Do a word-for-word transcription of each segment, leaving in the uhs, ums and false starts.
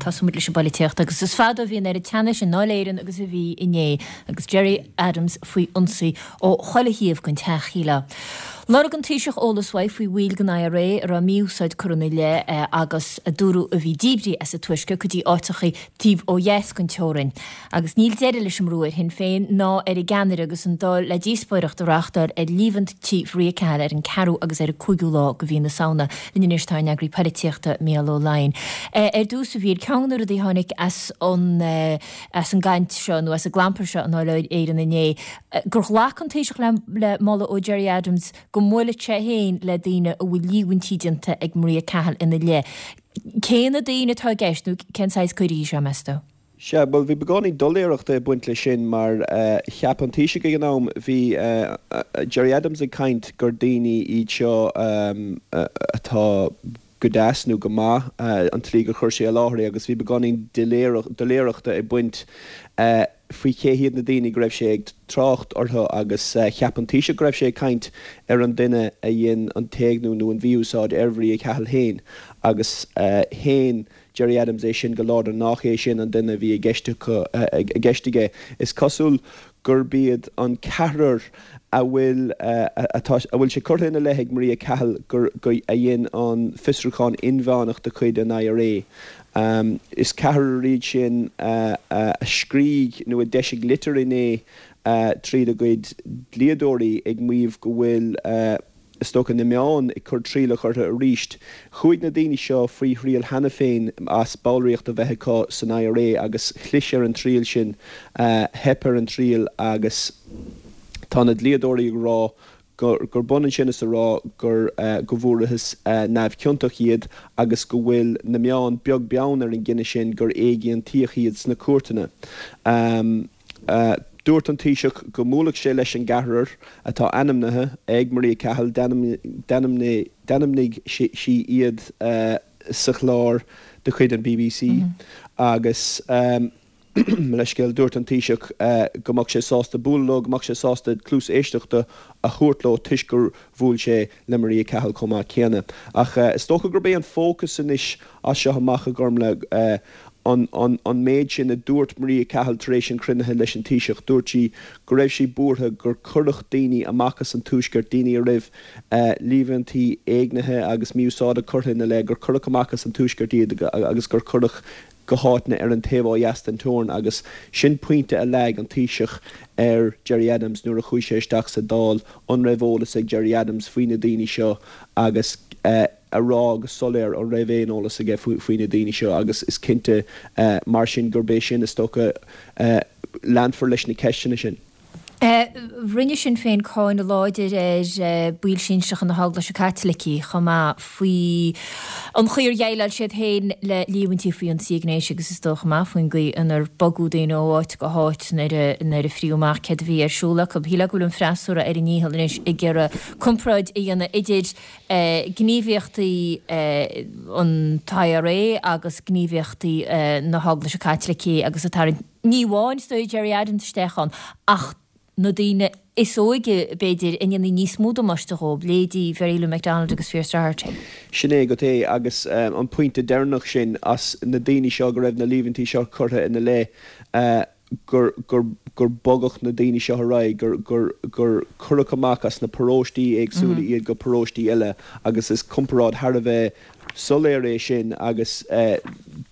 Tosóidh muid leis an bpolaitíocht agus is fada a bhí an oiread teannais i nDáil Éireann agus a bhí inné agus Gerry Adams faoi ionsaí ó chuile thaobh den teach, shílfeá. Lorg an Taoiseach eolas uaidh faoi bhaill den I R A a raibh mí-úsáid curtha ina leith agus a dúradh a bhí díbrithe as an Tuaisceart go dtí áiteachaí taobh ó dheas den teorainn. Agus níl deireadh leis an mbrú ar Shinn Féin ná ar a gceannaire agus an Dáil le díospóireacht a reáchtáil ar líomhaintí Mharia Cahill ar an ceathrú agus ar an cúigiú lá de mhí na Samhna. Linn anois tá ár n-eagraí polaitíochta Mícheál Ó Laighin. Ar dtús, a Mhíchíl, ceann de na rudaí a tháinig as an as an gcaint seo nó as an gclampar seo i nDáil Éireann inné, gur ghlac an Taoiseach le le moladh ó Gerry Adams go mbuailfeadh sé féin le daoine a bhfuil líomhaintí déanta ag Maria Cahill ina leith. Cé na daoine atá i gceist nó cén saghas cuirí seo, meas tú? Sea, bhuel, bhí beagáinín doiléireachta ag baint leis sin mar cheap an Taoiseach ag an am, bhí Gerry Adams ag caint gur daoine iad seo atá go deas nó go maith, an tslí gur chuir sé i láthair é agus bhí beagáinín doiléireachta ag baint faoi cé hiad na daoine go raibh sé ag trácht orthu agus cheap an Taoiseach go raibh sé ag caint ar an duine a dhein an t-éigniú nó an mhí-úsáid ar Mharia Cahill féin agus shéan Gerry Adams é sin go láidir nach é sin an duine a bhí i gceist i gceist aige. Is cosúil gurb iad an ceathrar a bhfuil atá a bhfuil sé curtha ina leith ag Maria Cahill gur go a dhein an fiosrúchán inmheánach de chuid an I R A. Um, is ceathrar iad sin uh, uh, a scrígh nó a d'eisigh litir inné uh, tríd a gcuid dlíodóirí ag maíomh go bhfuil uh, is dócha na meáin ag cur trialach orthu arís. Chuaigh na daoine seo faoi thriail cheana féin as ballraíocht a bheith acu san I R A agus chlis ar an triail sin uh, theip ar an triail agus tá na dlíodóirí ag rá gur, gur b'ionann sin is a rá gur uh, go bhfuarthas uh, neamhchiontach iad agus go bhfuil na meáin beag beann ar an gcinneadh sin gur éigiontaíodh iad sna cúirteanna. Um, uh, Dúirt an Taoiseach go mbuailfeadh sé leis an gceathrar atá ainmnithe ag Maria Cahill d'ainmnigh sí iad uh, sa chlár de chuid an B B C mm -hmm. agus um, leiscéil dúirt an Taoiseach uh, go mbeadh sé sásta bualadh, go mbeadh sé sásta cluas éisteachta a thabhairt leo toisc gur bhuail sé le Maria Cahill chomh maith céanna. Ach uh, is dócha gurb é an fócas anois as seo amach a gurm le uh, an, an, an méid sin a dúirt Maria Cahill tar éis an chruinnithe leis an Taoiseach dúirt sí go raibh sí buartha gur cuireadh daoine amach as an Tuaisceart daoine a raibh uh, líomhaintí éignithe agus mí-úsáide curtha ina leith gur cuireadh amach as an Tuaisceart iad agus gur cuireadh go háiteanna ar an taobh ó dheas den teorainn agus sin pointe a leag an Taoiseach ar Gerry Adams nuair a chuaigh sé isteach sa Dáil an raibh eolas ag Gerry Adams faoi na daoine seo agus uh, a rá go soiléir an raibh aon eolas aige faoi na daoine seo agus is cinnte uh, mar sin gurb é sin is dócha uh, leanfar leis na ceisteanna sin. Uh, rinne Sinn Féin cáineadh láidir ar uh, bhaill sinsearacha na hEaglaise Caitlicí chomh maith faoi an chaoi ar dhéileáil siad féin le líomhaintí faoi an ghnéas agus is dócha maith faoin gcaoi inar bogadh daoine ó áit go háit nuair a fríodh amach céard a bhí ar siúl acu. Shílfeá go bhfuil an freasúra ar a ndícheall anois ag iarraidh comparáid a dhéanamh idir uh, gníomhaíochtaí uh, an I R A agus gníomhaíochtaí uh, na hEaglaise Caitlicí agus atá ní amháin sto Gerry Adams isteach ann ach na daoine is óige b'fhéidir a ndéanfaí níos mó damáiste dóibh, leithéidí Mary Lou McDonald agus Pearse Doherty. Sin é go é agus um, an pointe deireanach sin as na daoine seo go raibh na líomhaintí seo curtha ina leith uh, gur gur gur bogadh na daoine seo ra gur gur gur cuireadh amach as na paróistí éagsúla mm -hmm. iad go paróistí eile agus is comparáid thar a bheith soiléir é sin agus uh,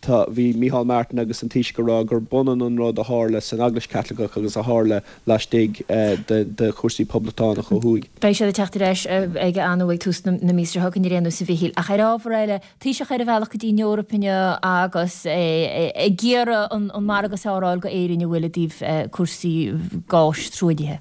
tá bhí Micheál Martin agus an Taoiseach ag rá gur b'ionann an rud a tharla san Eaglais Chaitliceach agus a tharla laistigh uh, de, de chúrsaí poblachtánach ó thuaidh. Beidh sé teacht leis ag an ag tús na míosa seo chugainn a Mhíchíl ach ar ábhar eile Taoiseach ar a bhealach go dtí an Eoraip agus ag iarraidh an margadh sáráil go Éirinn a bhfuil i dtaobh cúrsaí gáis truaillithe.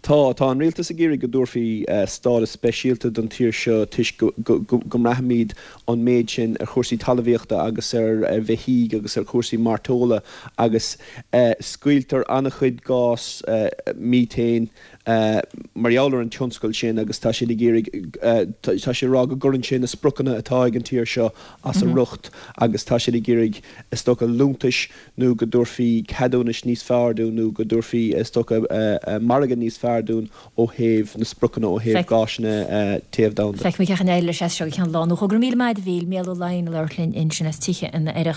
Tá tá an rialtas ag iarraidh go dtabharfaí uh, stádas speisialta don tír seo toisc go, go, go, go mbraithimid an méid sin ar chúrsaí talmhaíochta agus ar, ar bheithígh agus ar chúrsaí mairteola agus uh, scaoiltear an-chuid gás uh, methane uh, mar gheall ar an tionscal sin agus tá sé ag iarraidh uh, tá sé rá go gcuireann sin na spriocanna atá ag an tír seo as a mm -hmm. riocht agus tá sé ag iarraidh is dócha liúntais nó go dtabharfaí ceadúnais níos fearr dúinn nó go dtabharfaí is dócha uh, uh, margadh níos fearr dúinn ó thaobh na spriocanna ó thaobh gásanna uh, téamh domhanda. Feicfimid cén chaoi a n-éireoidh leis seo ceann lá nó go míle maith Mícheál Ó Laighin linn ansin as Tithe an Oireachtais.